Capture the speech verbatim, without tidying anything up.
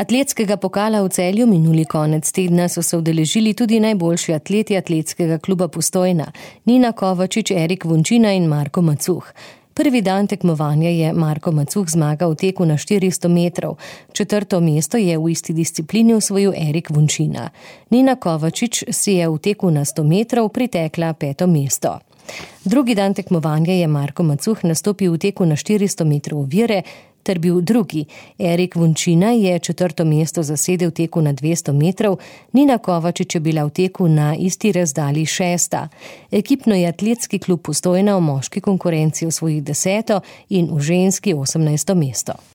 Atletskega pokala v Celju minuli konec tedna so se udeležili tudi najboljši atleti Atletskega kluba Postojna, Nina Kovačič, Erik Vunčina in Marko Macuh. Prvi dan tekmovanja je Marko Macuh zmagal v teku na štiristo metrov, četrto mesto je v isti disciplini osvojil Erik Vunčina. Nina Kovačič si je v teku na sto metrov pritekla peto mesto. Drugi dan tekmovanja je Marko Macuh nastopil v teku na štiristo metrov ovire ter bil drugi. Erik Vunčina je četrto mesto zasedel v teku na dvesto metrov, Nina Kovačič je bila v teku na isti razdalji šesta. Ekipno je Atletski klub Postojna v moški konkurenci osvojil deseto in v ženski osemnajsto mesto.